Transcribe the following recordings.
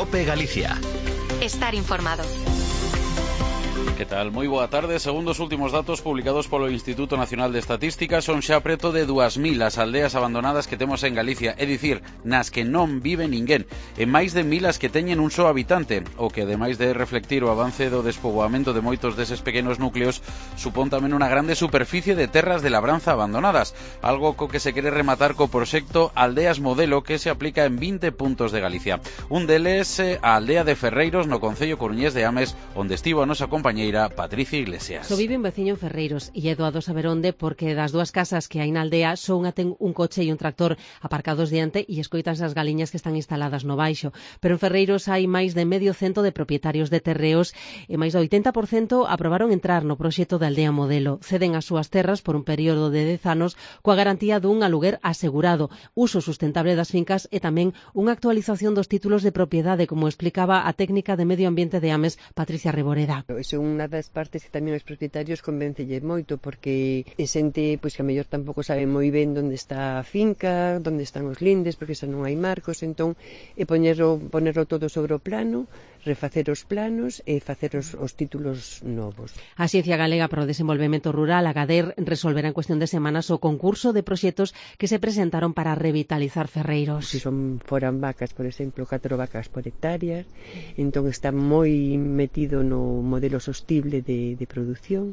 COPE Galicia. Estar informado. Que tal? Moi boa tarde. Segundo os últimos datos publicados polo Instituto Nacional de Estatística, son xa preto de 2.000 as aldeas abandonadas que temos en Galicia, é dicir, nas que non vive ninguén, e máis de 1.000 as que teñen un só habitante, o que ademais de reflectir o avance do despoboamento de moitos deses pequenos núcleos, supón tamén unha grande superficie de terras de labranza abandonadas, algo co que se quere rematar co proxecto Aldeas Modelo, que se aplica en 20 puntos de Galicia. Un deles, a aldea de Ferreiros, no concello coruñés de Ames, onde estivo a nosa compañeira Patricia Iglesias. Só vive un veciño en Ferreiros e é doado saber onde, porque das dúas casas que hai na aldea só unha ten un coche e un tractor aparcados diante e escoitanse as galiñas que están instaladas no baixo. Pero en Ferreiros hai máis de medio cento de propietarios de terreos e máis do 80% aprobaron entrar no proxecto da Aldea Modelo. Ceden as súas terras por un período de 10 anos coa garantía dun aluguer asegurado, uso sustentable das fincas e tamén unha actualización dos títulos de propiedade, como explicaba a técnica de Medio Ambiente de Ames, Patricia Reboreda. Iso é unha das partes que tamén os propietarios convéncelle moito, porque é xente pois que a mellor tampouco sabe moi ben onde está a finca, onde están os lindes, porque xa non hai marcos, entón ponerlo todo sobre o plano, refacer os planos e facer os títulos novos. A Axencia Galega para o Desenvolvemento Rural, a GADER, resolverá en cuestión de semanas o concurso de proxectos que se presentaron para revitalizar Ferreiros. Se son foran vacas, por exemplo, 4 vacas por hectárea, entón está moi metido no modelo sostible de produción.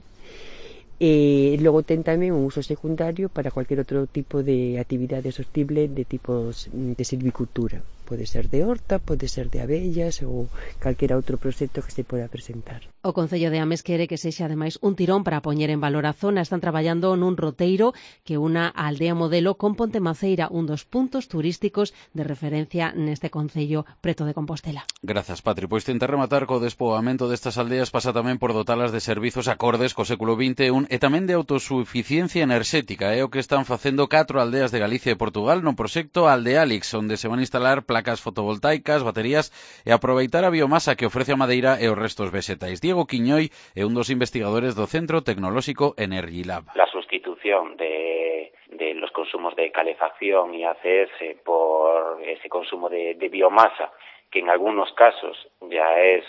E logo ten tamén un uso secundario para cualquier outro tipo de actividade sostible de tipos de silvicultura. Pode ser de horta, pode ser de abellas ou calquera outro proxecto que se poda presentar. O Concello de Ames quere que sexa ademais un tirón para poñer en valor a zona. Están traballando nun roteiro que una a Aldea Modelo con Pontemaceira, un dos puntos turísticos de referencia neste concello preto de Compostela. Grazas, Patri. Pois tentar rematar co despoboamento destas aldeas pasa tamén por dotalas de servizos acordes co século XXI e tamén de autosuficiencia enerxética. É o que están facendo 4 aldeas de Galicia e Portugal no proxecto Aldealix, onde se van instalar placas fotovoltaicas, baterías e aproveitar a biomasa que ofrece a madeira e os restos vegetais. Diego Quiñoi é un dos investigadores do Centro Tecnolóxico Energy Lab. La sustitución de los consumos de calefacción y ACS por ese consumo de biomasa, que en algunos casos ya es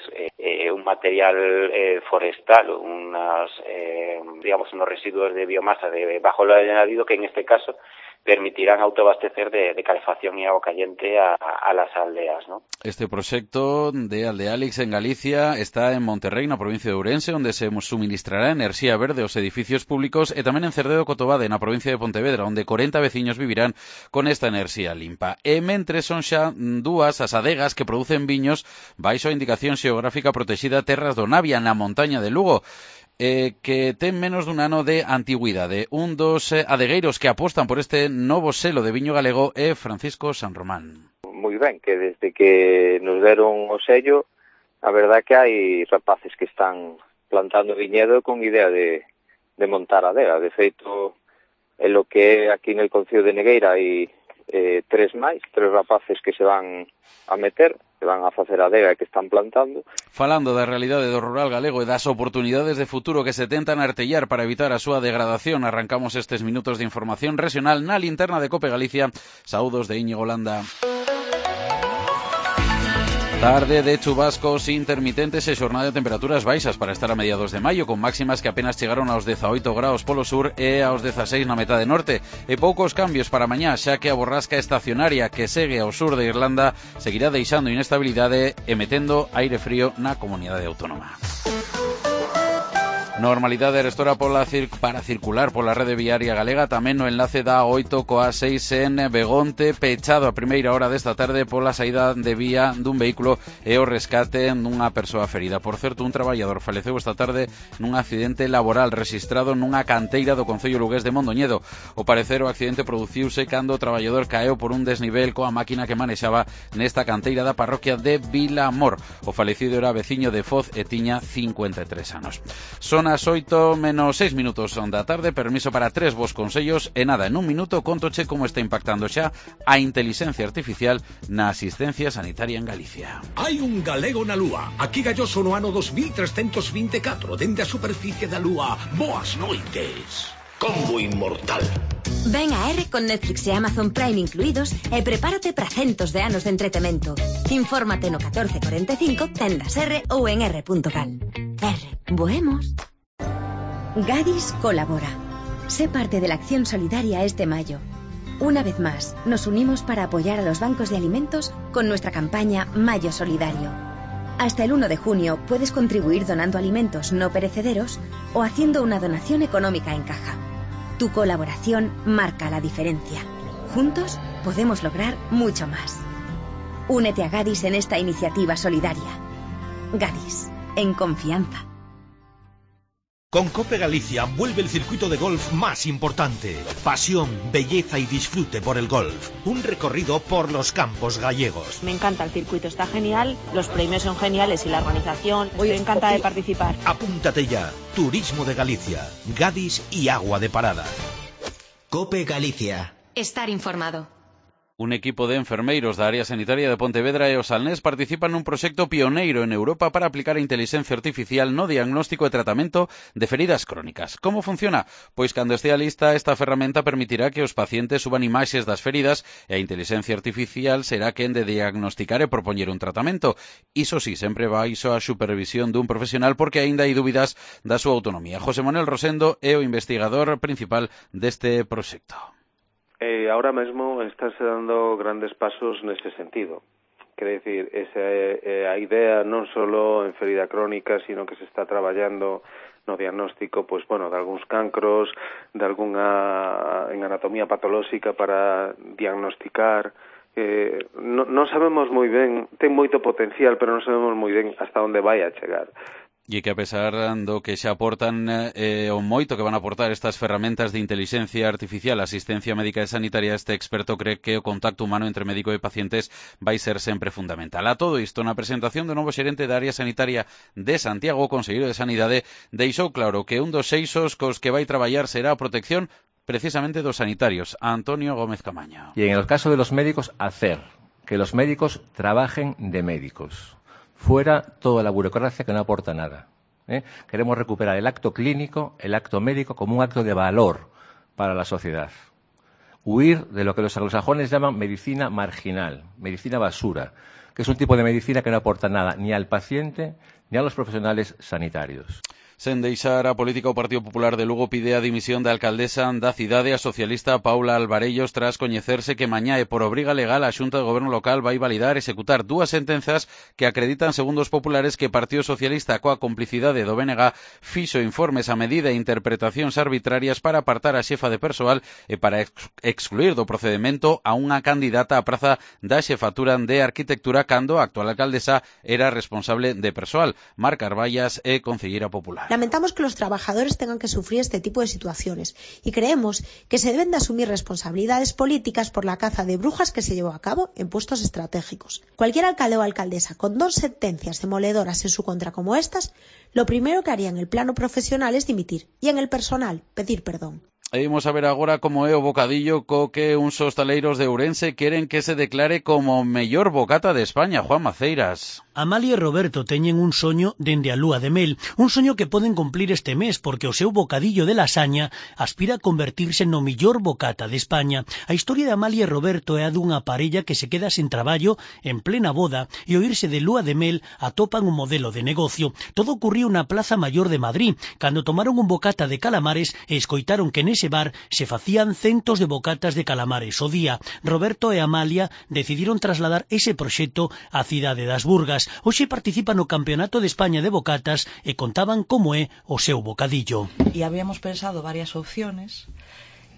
un material forestal, unos residuos de biomasa de bajo valor añadido, que en este caso permitirán autoabastecer de calefacción y agua caliente a las aldeas, ¿no? Este proxecto de Aldealix en Galicia está en Monterrey, na provincia de Ourense, onde se suministrará enerxía verde aos edificios públicos, e tamén en Cerdedo Cotobade, na provincia de Pontevedra, onde 40 veciños vivirán con esta enerxía limpa. E mentre son xa dúas as adegas que producen viños baixo a indicación xeográfica protexida Terras do Navia, na montaña de Lugo, que ten menos dun ano de antigüidade. Un dos adegueiros que apostan por este novo selo de viño galego é Francisco San Román. Moi ben, que desde que nos deron o sello, a verdad que hai rapaces que están plantando viñedo con idea de montar adega. De feito, en lo que é aquí en el concello de Negueira hai 3 rapaces que se van a meter, que van a facer adega e que están plantando. Falando da realidade do rural galego e das oportunidades de futuro que se tentan artellar para evitar a súa degradación, arrancamos estes minutos de información regional na linterna de COPE Galicia. Saúdos de Íñigo Landa. Tarde de chubascos intermitentes e xornada de temperaturas baixas para estar a mediados de maio, con máximas que apenas chegaron aos 18 graus polo sur e aos 16 na metade norte, e poucos cambios para mañá, xa que a borrasca estacionaria que segue ao sur de Irlanda seguirá deixando inestabilidade e metendo aire frío na comunidade autónoma. Normalidade restora para circular pola rede viaria galega, tamén no enlace da 8 coa 6 en Begonte, pechado a primeira hora desta tarde pola saída de vía dun vehículo e o rescate dunha persoa ferida. Por certo, un traballador faleceu esta tarde nun accidente laboral rexistrado nunha canteira do concello lugués de Mondoñedo. O parecer, o accidente produciuse cando o traballador caeu por un desnivel coa máquina que manexaba nesta canteira da parroquia de Vilamor. O falecido era veciño de Foz e tiña 53 anos. Son as 8 menos 6 minutos da tarde, permiso para 3 vos consellos e nada, en un minuto contoche como está impactando xa a inteligencia artificial na asistencia sanitaria en Galicia. Hai un galego na Lúa, aquí galloso no ano 2324, dende a superficie da Lúa. Boas noites. Combo inmortal. Ven a R con Netflix e Amazon Prime incluídos e prepárate para centos de anos de entretemento. Infórmate no 1445, tendas R ou en r.cal. R, voemos. Gadis colabora. Sé parte de la acción solidaria este mayo. Una vez más, nos unimos para apoyar a los bancos de alimentos con nuestra campaña Mayo Solidario. Hasta el 1 de junio puedes contribuir donando alimentos no perecederos o haciendo una donación económica en caja. Tu colaboración marca la diferencia. Juntos podemos lograr mucho más. Únete a Gadis en esta iniciativa solidaria. Gadis, en confianza. Con Cope Galicia vuelve el circuito de golf más importante. Pasión, belleza y disfrute por el golf. Un recorrido por los campos gallegos. Me encanta el circuito, está genial, los premios son geniales y la organización. Estoy encantada de participar. Apúntate ya. Turismo de Galicia, Gadis y Agua de Parada. Cope Galicia. Estar informado. Un equipo de enfermeiros da área sanitaria de Pontevedra e o Salnés participan nun proxecto pioneiro en Europa para aplicar a inteligencia artificial no diagnóstico e tratamento de feridas crónicas. Como funciona? Pois cando estea lista, esta ferramenta permitirá que os pacientes suban imaxes das feridas e a inteligencia artificial será quen de diagnosticar e propoñer un tratamento. Iso sí, sempre baixo a supervisión dun profesional porque aínda hai dúbidas da súa autonomía. José Manuel Rosendo é o investigador principal deste proxecto. Ahora mesmo estáse dando grandes pasos nese sentido. Quere dicir, esa é a idea non só en ferida crónica, sino que se está traballando no diagnóstico, pois, bueno, de algúns cancros, de algunha en anatomía patolóxica para diagnosticar. Non sabemos moi ben, ten moito potencial, pero non sabemos moi ben hasta onde vai a chegar. E que a pesar do que xa aportan o moito que van a aportar estas ferramentas de inteligencia artificial, asistencia médica e sanitaria, este experto cree que o contacto humano entre médico e pacientes vai ser sempre fundamental. A todo isto, na presentación do novo xerente da área sanitaria de Santiago, o conselleiro de Sanidade, deixou claro que un dos eixos cos que vai traballar será a protección precisamente dos sanitarios. Antonio Gómez Camaño. Y en el caso de los médicos, hacer que los médicos trabajen de médicos. Fuera toda la burocracia que no aporta nada. Queremos recuperar el acto clínico, el acto médico, como un acto de valor para la sociedad. Huir de lo que los anglosajones llaman medicina marginal, medicina basura, que es un tipo de medicina que no aporta nada ni al paciente ni a los profesionales sanitarios. Sen deixar a política, o Partido Popular de Lugo pide a dimisión da alcaldesa da cidade, a socialista Paula Alvarellos, tras coñecerse que mañá e por obriga legal a Xunta de Goberno local vai validar e executar dúas sentenzas que acreditan, segundo os populares, que o Partido Socialista, coa complicidade do BNG, fixo informes a medida e interpretacións arbitrarias para apartar a xefa de persoal e para excluir do procedimento a unha candidata á praza da xefatura de arquitectura cando a actual alcaldesa era responsable de persoal. Mar Carballas é concelleira popular. Lamentamos que los trabajadores tengan que sufrir este tipo de situaciones y creemos que se deben de asumir responsabilidades políticas por la caza de brujas que se llevó a cabo en puestos estratégicos. Cualquier alcalde o alcaldesa con 2 sentencias demoledoras en su contra como estas, lo primero que haría en el plano profesional es dimitir y en el personal pedir perdón. E imos a ver agora como é o bocadillo co que uns hostaleiros de Ourense queren que se declare como mellor bocata de España. Juan Maceiras. Amalia e Roberto teñen un soño dende a lúa de mel, un soño que poden cumplir este mes porque o seu bocadillo de lasaña aspira a convertirse no mellor bocata de España. A historia de Amalia e Roberto é a dunha parella que se queda sen traballo en plena boda e ao irse de lúa de mel atopan un modelo de negocio. Todo ocurriu na Plaza Mayor de Madrid, cando tomaron un bocata de calamares e escoitaron que nese bar se facían centos de bocatas de calamares o día. Roberto e Amalia decidiron trasladar ese proxecto á cidade das Burgas. Hoxe participan no Campeonato de España de Bocatas e contaban como é o seu bocadillo. Y habíamos pensado varias opciones,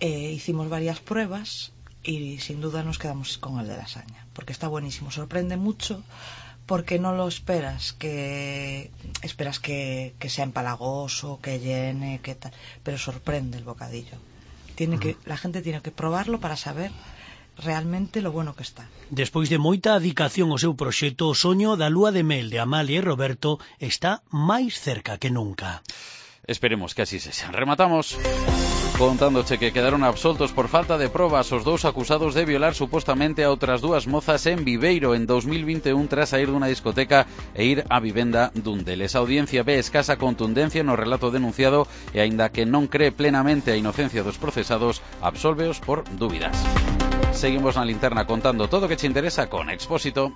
hicimos varias pruebas y sin duda nos quedamos con el de lasaña, porque está buenísimo, sorprende mucho, porque no lo esperas, que sea empalagoso, que llene, que tal, pero sorprende el bocadillo. La gente tiene que probarlo para saber realmente lo bueno que está. Despois de moita adicación ao seu proxecto, o soño da lúa de mel de Amalia e Roberto está máis cerca que nunca. Esperemos que así sexa. Rematamos. Contándoche que quedaron absoltos por falta de probas os dous acusados de violar supostamente a outras dúas mozas en Viveiro en 2021 tras sair dunha discoteca e ir á vivenda dun deles. A audiencia ve escasa contundencia no relato denunciado e aínda que non cree plenamente a inocencia dos procesados, absolveos por dúbidas. Seguimos na linterna contando todo o que che interesa con Expósito.